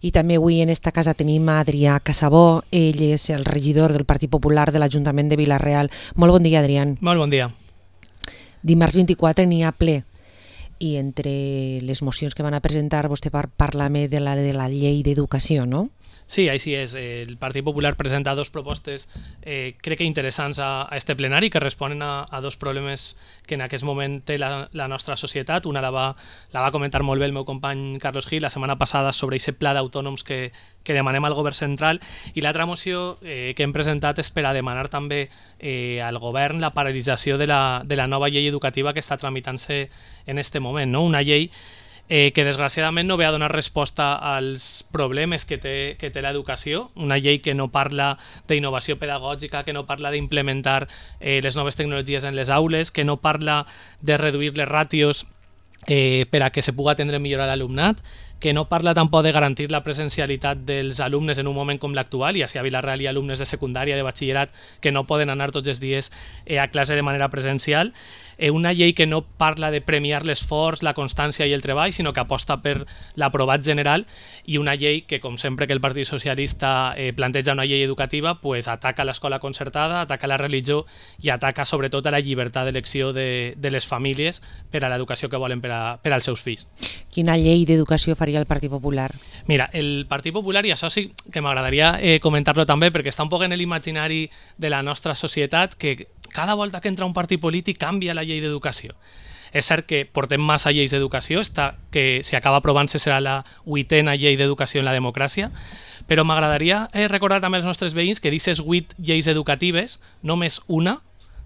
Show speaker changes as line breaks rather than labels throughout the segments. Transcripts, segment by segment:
I també avui en esta casa tenim a Adrià Casabó, ell és el regidor del Partit Popular de l'Ajuntament de Vila-real. Molt bon dia, Adrià.
Molt bon dia.
Dimarts 24 n'hi ha ple i entre les mocions que van a presentar vostè parla-me de la llei d'educació, no?
Sí, així és. El Partit Popular presenta dos propostes crec que interessants a este plenari que responen a dos problemes que en aquest moment té la nostra societat. Una la va comentar molt bé el meu company Carlos Gil la setmana passada sobre aquest pla d'autònoms que demanem al govern central, i l'altra moció que hem presentat és per a demanar també al govern la paralització de la nova llei educativa que està tramitant-se en este moment, no? Una llei que desgraciadament no ve a donar resposta als problemes que té l'educació, una llei que no parla d'innovació pedagògica, que no parla d'implementar les noves tecnologies en les aules, que no parla de reduir les ràtios per a que se pugui atendre millor a l'alumnat, que no parla tampoc de garantir la presencialitat dels alumnes en un moment com l'actual, i així a Vila-real hi ha alumnes de secundària, de batxillerat, que no poden anar tots els dies a classe de manera presencial. Una llei que no parla de premiar l'esforç, la constància i el treball, sinó que aposta per l'aprovat general, i una llei que, com sempre que el Partit Socialista planteja una llei educativa, pues ataca l'escola concertada, ataca la religió i ataca sobretot a la llibertat d'elecció de les famílies per a l'educació que volen per als seus fills.
Quina llei d'educació faria el Partit Popular?
Mira, el Partit Popular, i això sí que m'agradaria comentar-lo també, perquè està un poc en l'imaginari de la nostra societat, que cada volta que entra un partit polític canvia la llei d'educació. És cert que portem massa lleis d'educació, que si acaba aprovant-se serà la 8a llei d'educació en la democràcia, però m'agradaria recordar també als nostres veïns que d'aquestes 8 lleis educatives, només una,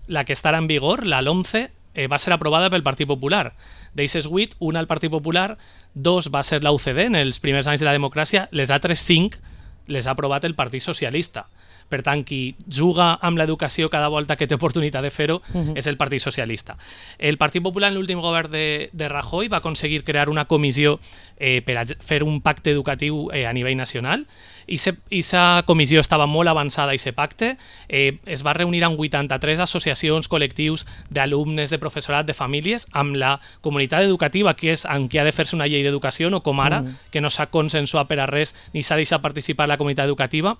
la que estarà en vigor, la LOMCE, va ser aprovada pel Partit Popular. D'aquestes 8, una al Partit Popular, 2 va ser la UCD en els primers anys de la democràcia, les altres 5 les ha aprovat el Partit Socialista. Per tant, qui juga amb l'educació cada volta que té oportunitat de fer-ho és el Partit Socialista. El Partit Popular en l'últim govern de Rajoy va aconseguir crear una comissió per a fer un pacte educatiu a nivell nacional, i aquesta comissió estava molt avançada, i aquest pacte es va reunir amb 83 associacions, col·lectius d'alumnes, de professorat, de famílies, amb la comunitat educativa, que és en què ha de fer-se una llei d'educació, no com ara, que no s'ha consensuat per a res ni s'ha deixat participar la comunitat educativa.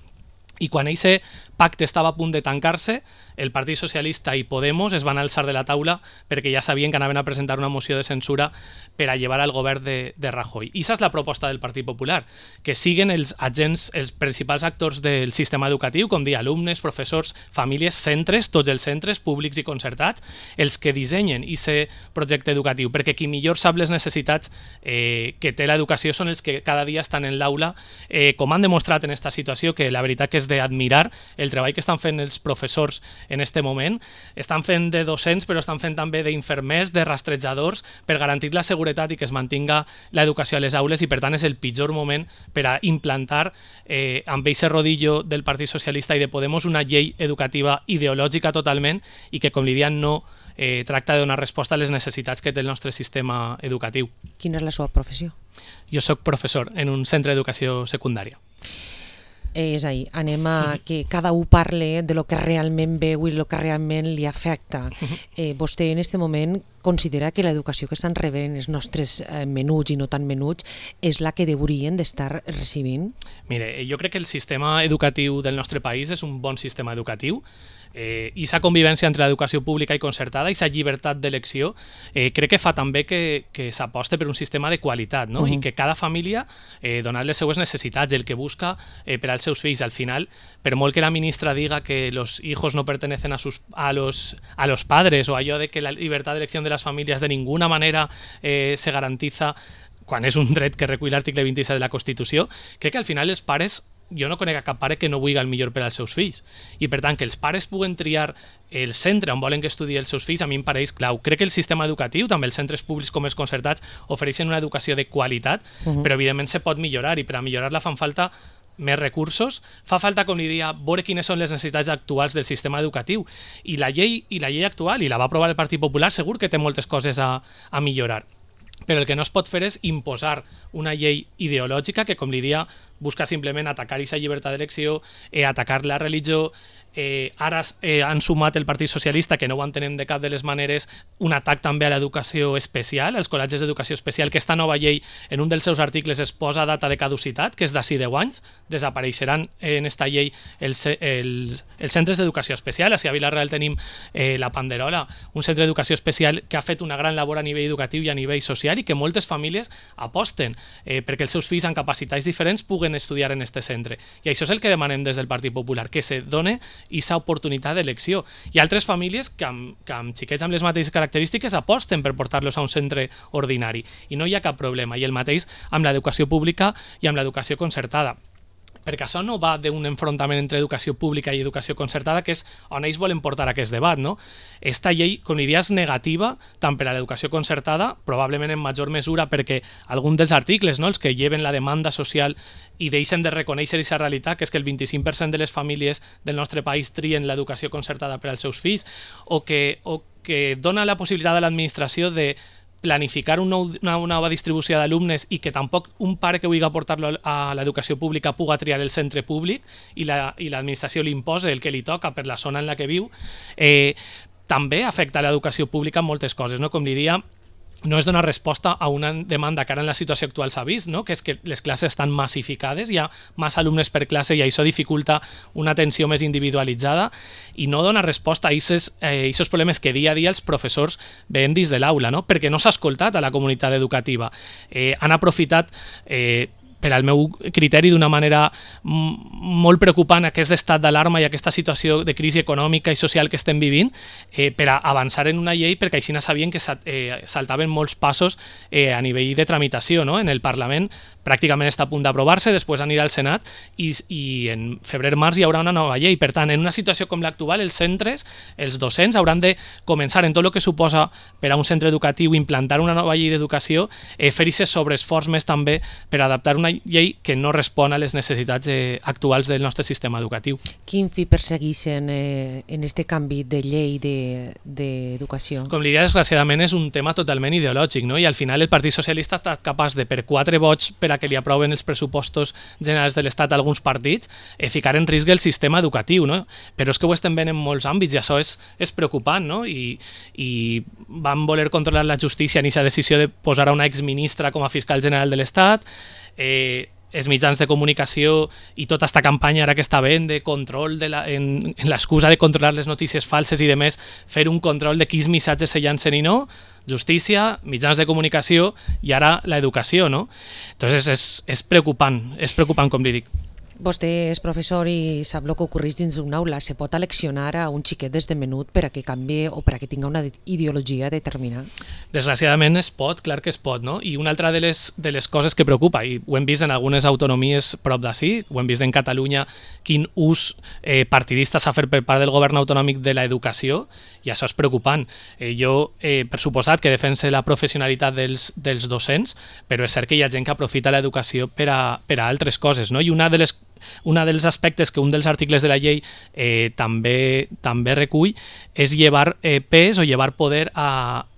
I quan aquest pacte estava a punt de tancar-se, el Partit Socialista i Podemos es van alçar de la taula perquè ja sabien que anaven a presentar una moció de censura per a llevar al govern de Rajoy. I aquesta és la proposta del Partit Popular, que siguen els agents, els principals actors del sistema educatiu, com dir, alumnes, professors, famílies, centres, tots els centres públics i concertats, els que dissenyen aquest projecte educatiu, perquè qui millor sap les necessitats que té l'educació són els que cada dia estan en l'aula, com han demostrat en aquesta situació, que la veritat que és d'admirar el treball que estan fent els professors en este moment. Estan fent de docents, però estan fent també d'infermers, de rastrejadors, per garantir la seguretat i que es mantinga l'educació a les aules, i per tant és el pitjor moment per a implantar amb aquest rodillo del Partit Socialista i de Podemos una llei educativa ideològica totalment, i que, com li diuen, no tracta de donar resposta a les necessitats que té el nostre sistema educatiu.
Quina és la seva professió?
Jo soc professor en un centre d'educació secundària.
És a dir, anem a que cada un parle de lo que realment veu i lo que realment li afecta. Vostè en aquest moment considera que l'educació que estan rebent els nostres menuts i no tan menuts és la que haurien d'estar recibint?
Mire, jo crec que el sistema educatiu del nostre país és un bon sistema educatiu, i sa convivència entre l'educació pública i concertada i sa llibertat d'elecció crec que fa també que s'aposte per un sistema de qualitat, no? I que cada família, donat les seues necessitats, el que busca per als seus fills, al final, per molt que la ministra diga que los hijos no pertenecen a los padres, o allò de que la llibertat d'elecció de les famílies de ninguna manera se garantiza quan és un dret que recull l'article 27 de la Constitució, crec que al final els pares, jo no conec cap pare que no vulgui el millor per als seus fills, i per tant que els pares puguen triar el centre on volen que estudien els seus fills a mi em pareix clau. Crec que el sistema educatiu, també els centres públics com els concertats, ofereixen una educació de qualitat, però evidentment se pot millorar, i per a millorar-la fan falta més recursos, fa falta, com li dia, veure quines són les necessitats actuals del sistema educatiu, i la llei actual, i la va aprovar el Partit Popular, segur que té moltes coses a millorar. Però el que no es pot fer és imposar una llei ideològica que, com li dia, busca simplement atacar aquesta llibertat d'elecció, atacar la religió, Ara han sumat el Partit Socialista, que no ho entenem de cap de les maneres, un atac també a l'educació especial, als col·legis d'educació especial, que esta nova llei en un dels seus articles es posa data de caducitat, que és d'ací 10 anys, desapareixeran en esta llei els centres d'educació especial. Així a Vila-real tenim la Panderola, un centre d'educació especial que ha fet una gran labor a nivell educatiu i a nivell social i que moltes famílies aposten perquè els seus fills amb capacitats diferents puguen estudiar en este centre. I això és el que demanem des del Partit Popular, que se done aquesta oportunitat d'elecció. Hi ha altres famílies que amb xiquets amb les mateixes característiques aposten per portar-los a un centre ordinari i no hi ha cap problema. I el mateix amb l'educació pública i amb l'educació concertada, perquè això no va d'un enfrontament entre educació pública i educació concertada, que és on ells volen portar aquest debat, no? Esta llei, com li dia, és negativa tant per a l'educació concertada, probablement en major mesura perquè algun dels articles, no, els que lleven la demanda social i deixen de reconèixer aquesta realitat, que és que el 25% de les famílies del nostre país trien l'educació concertada per als seus fills, o que dona la possibilitat a l'administració de planificar una nova distribució d'alumnes i que tampoc un pare que vulgui portar-lo a l'educació pública puga triar el centre públic i l'administració li imposa el que li toca per la zona en la que viu, també afecta l'educació pública en moltes coses, no? Com li dia, no és donar resposta a una demanda que ara en la situació actual s'ha vist, no? Que és que les classes estan massificades, hi ha massa alumnes per classe i això dificulta una atenció més individualitzada i no dona resposta a aquests problemes que dia a dia els professors veiem dins de l'aula, no? Perquè no s'ha escoltat a la comunitat educativa. Han aprofitat per al meu criteri, d'una manera molt preocupant aquest estat d'alarma i aquesta situació de crisi econòmica i social que estem vivint per a avançar en una llei, perquè així sabien que saltaven molts passos a nivell de tramitació, no? En el Parlament pràcticament està a punt d'aprovar-se, després anirà al Senat i en febrer-març hi haurà una nova llei. Per tant, en una situació com l'actual, els centres, els docents, hauran de començar en tot el que suposa per a un centre educatiu implantar una nova llei d'educació, fer aquest sobreesforç més també per adaptar una llei que no respon a les necessitats actuals del nostre sistema educatiu.
Quin fi persegueixen en este canvi de llei d'educació?
Com l'idea, desgraciadament, és un tema totalment ideològic, no? I al final el Partit Socialista ha estat capaç de, per 4 vots per a que li aproven els pressupostos generals de l'Estat a alguns partits, ficar en risc el sistema educatiu, no? Però és que ho estem veient en molts àmbits i això és preocupant, no? I van voler controlar la justícia en aquesta decisió de posar a una exministra com a fiscal general de l'Estat, els mitjans de comunicació i tota aquesta campanya ara que està veient de control en l'excusa de controlar les notícies falses i de més, fer un control de quins missatges se llancen i no, justícia, mitjans de comunicació i ara l'educació, no? Entonces és preocupant com li dic.
Vostè és professor i sap el que ocorreix dins d'una aula. Se pot aleccionar a un xiquet des de menut per a que canvi o per a que tinga una ideologia determinada?
Desgraciadament es pot, clar que es pot, no? I una altra de les coses que preocupa, i ho hem vist en algunes autonomies prop d'ací, ho hem vist en Catalunya, quin ús partidista s'ha fet per part del govern autonòmic de l'educació, i això és preocupant. Jo, per suposat, que defense la professionalitat dels docents, però és cert que hi ha gent que aprofita l'educació per a altres coses, no? I un dels aspectes que un dels articles de la llei també recull és llevar pes o llevar poder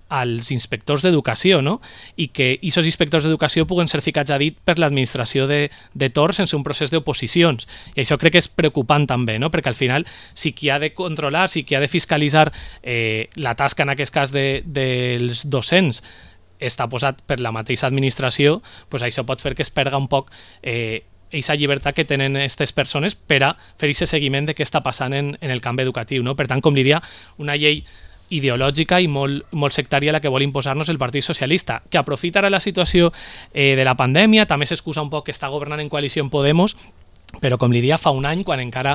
als inspectors d'educació, no? I que aquests inspectors d'educació puguen ser ficats a dit per l'administració de torn sense un procés d'oposicions. I això crec que és preocupant també, no? Perquè al final, si qui ha de controlar, si qui ha de fiscalitzar la tasca, en aquest cas, dels docents, està posat per la mateixa administració, doncs això pot fer que es perga un poc aquesta llibertat que tenen aquestes persones per a fer aquest seguiment de què està passant en el camp educatiu, no? Per tant, com li dia, una llei ideològica i molt sectària la que vol imposar-nos el Partit Socialista, que aprofita ara la situació de la pandèmia, també s'excusa un poc que està governant en coalició amb Podemos, però com li dia, fa un any, quan encara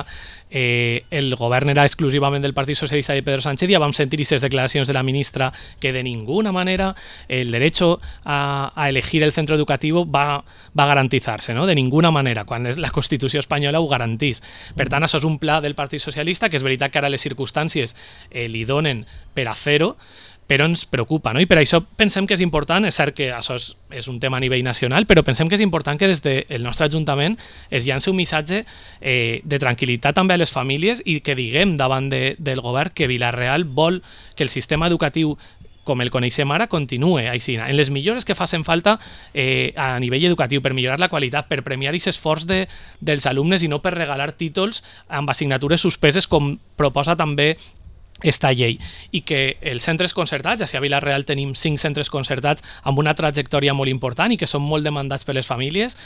el govern era exclusivament del Partit Socialista de Pedro Sánchez, ja vam sentir aquestes declaracions de la ministra que de ninguna manera el derecho a elegir el centro educativo va a garantizar-se, no? De ninguna manera, quan la Constitució espanyola ho garantís. Per tant, això és un pla del Partit Socialista, que és veritat que ara les circumstàncies li donen per a fer-ho, però ens preocupa, no? I per això pensem que és important, és cert que això és un tema a nivell nacional, però pensem que és important que des del nostre Ajuntament es llanci un missatge de tranquil·litat també a les famílies i que diguem davant del govern que Vila-real vol que el sistema educatiu com el coneixem ara, continue així, en les millores que facin falta a nivell educatiu, per millorar la qualitat, per premiar aquest esforç dels alumnes i no per regalar títols amb assignatures suspeses, com proposa també esta llei, i que els centres concertats, ja si a Vila-real tenim 5 centres concertats amb una trajectòria molt important i que són molt demandats per les famílies,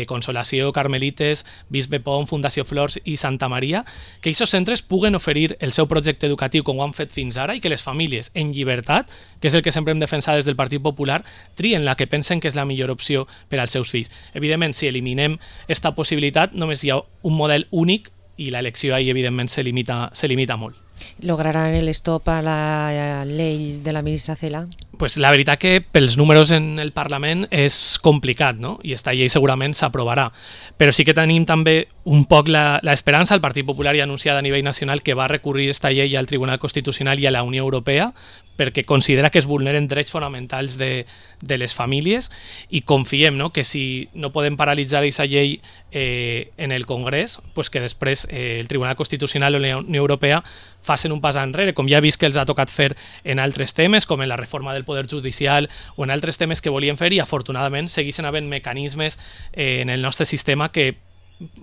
Consolació, Carmelites, Bisbe Pont, Fundació Flors i Santa Maria, que aquests centres puguen oferir el seu projecte educatiu com ho han fet fins ara i que les famílies, en llibertat, que és el que sempre hem defensat des del Partit Popular, trien la que pensen que és la millor opció per als seus fills. Evidentment, si eliminem esta possibilitat, només hi ha un model únic i l'elecció ahí, evidentment, se limita molt.
¿Lograrán el stop a la ley de la ministra Cela?
Pues la veritat que pels números en el Parlament és complicat, no? I esta llei segurament s'aprovarà. Però sí que tenim també un poc l'esperança. El Partit Popular ja ha anunciat a nivell nacional que va recurrir esta llei al Tribunal Constitucional i a la Unió Europea perquè considera que es vulneren drets fonamentals de les famílies, i confiem, no?, que si no podem paralitzar aquesta llei en el Congrés, pues que després el Tribunal Constitucional o la Unió Europea facin un pas enrere, com ja he vist que els ha tocat fer en altres temes, com en la reforma del Poder Judicial o en altres temes que volien fer, i afortunadament segueixen havent mecanismes en el nostre sistema que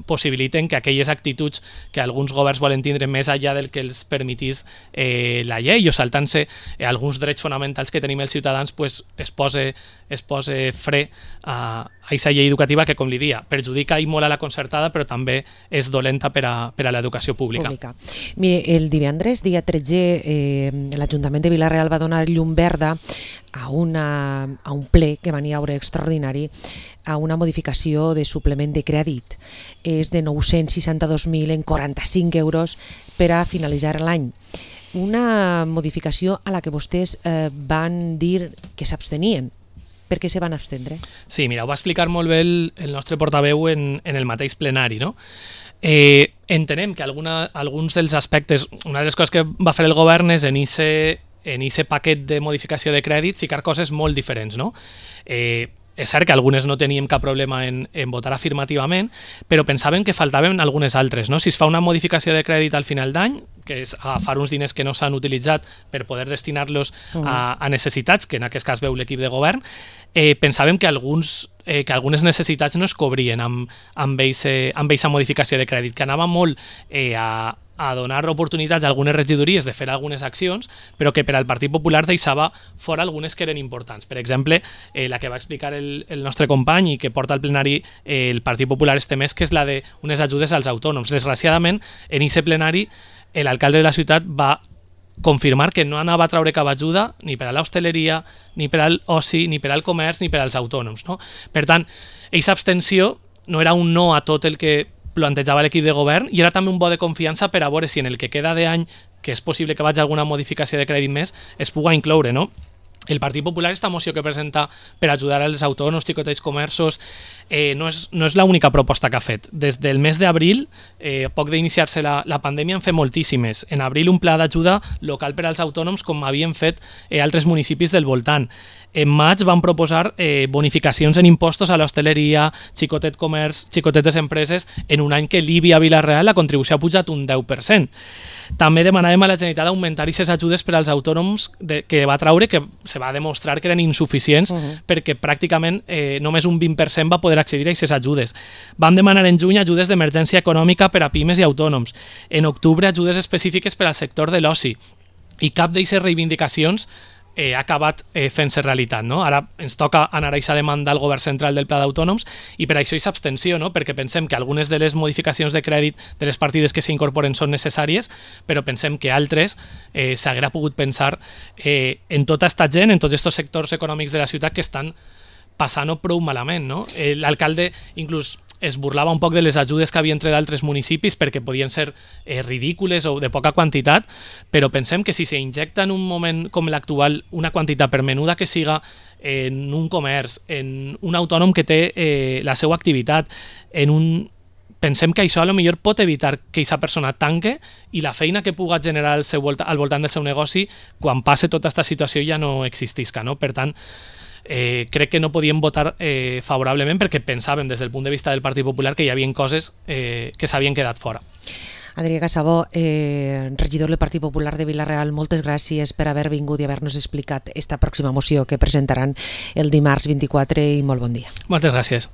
possibiliten que aquelles actituds que alguns governs volen tindre més enllà del que els permetís la llei, o saltant-se alguns drets fonamentals que tenim els ciutadans, pues es pose fre a aquesta llei educativa que, com li dia, perjudica i molt a la concertada, però també és dolenta per a l'educació pública.
Mire, el divendres, dia 13, l'Ajuntament de Vila-real va donar llum verda a un ple que va haure extraordinari a una modificació de suplement de crèdit. És de 962.000 en 45 euros per a finalitzar l'any. Una modificació a la que vostès van dir que s'abstenien. Per què se van abstendre?
Sí, mira, ho va explicar molt bé el nostre portaveu en el mateix plenari, no? Entenem que alguns dels aspectes, una de les coses que va fer el govern és en aquest paquet de modificació de crèdit ficar coses molt diferents, no? És cert que algunes no teníem cap problema en votar afirmativament, però pensàvem que faltaven algunes altres, no? Si es fa una modificació de crèdit al final d'any, que és agafar uns diners que no s'han utilitzat per poder destinar-los a necessitats, que en aquest cas veu l'equip de govern, pensàvem que algunes necessitats no es cobrien amb aquesta modificació de crèdit, que anava molt a donar oportunitats a algunes regidories de fer algunes accions, però que per al Partit Popular deixava fora algunes que eren importants. Per exemple, la que va explicar el nostre company i que porta al plenari el Partit Popular este mes, que és la d'unes ajudes als autònoms. Desgraciadament, en aquest plenari, l'alcalde de la ciutat va confirmar que no anava a treure cap ajuda ni per a l'hostaleria, ni per al oci, ni per al comerç, ni per als autònoms, no? Per tant, aquesta abstenció no era un no a tot el que plantejava l'equip de govern, i era també un vot de confiança per a veure si en el que queda d'any, que és possible que vagi alguna modificació de crèdit més, es puga incloure, no? El Partit Popular, esta moció que presenta per ajudar als autònoms, xicotets comerços, no és l'única proposta que ha fet. Des del mes d'abril, poc d'iniciar-se la pandèmia, han fet moltíssimes. En abril, un pla d'ajuda local per als autònoms, com havien fet altres municipis del voltant. En maig van proposar bonificacions en impostos a l'hostaleria, xicotet comerç, xicotetes empreses, en un any que l'IBI a Vila-real la contribució ha pujat un 10%. També demanàvem a la Generalitat augmentar aquestes ajudes per als autònoms que va traure, que se va demostrar que eren insuficients perquè pràcticament només un 20% va poder accedir a aquestes ajudes. Vam demanar en juny ajudes d'emergència econòmica per a pimes i autònoms. En octubre ajudes específiques per al sector de l'oci. I cap d'aquestes reivindicacions ha acabat fent-se realitat, no? Ara ens toca anar a aquesta demanda al govern central del Pla d'Autònoms, i per això és abstenció, no? Perquè pensem que algunes de les modificacions de crèdit de les partides que s'incorporen són necessàries, però pensem que altres s'haguera pogut pensar en tota aquesta gent, en tots aquests sectors econòmics de la ciutat que estan passant-ho prou malament, no? L'alcalde inclús es burlava un poc de les ajudes que havia entre d'altres municipis perquè podien ser ridícules o de poca quantitat, però pensem que si s'injecta en un moment com l'actual una quantitat, per menuda que siga, en un comerç, en un autònom que té la seva activitat, pensem que això potser pot evitar que aquesta persona tanque i la feina que puga generar al voltant del seu negoci, quan passe tota aquesta situació, ja no existisca, no? Per tant, crec que no podíem votar favorablement perquè pensàvem des del punt de vista del Partit Popular que hi havia coses que s'havien quedat fora.
Adrià Casabó, regidor del Partit Popular de Vila-real, moltes gràcies per haver vingut i haver-nos explicat esta pròxima moció que presentaran el dimarts 24 i molt bon dia.
Moltes gràcies.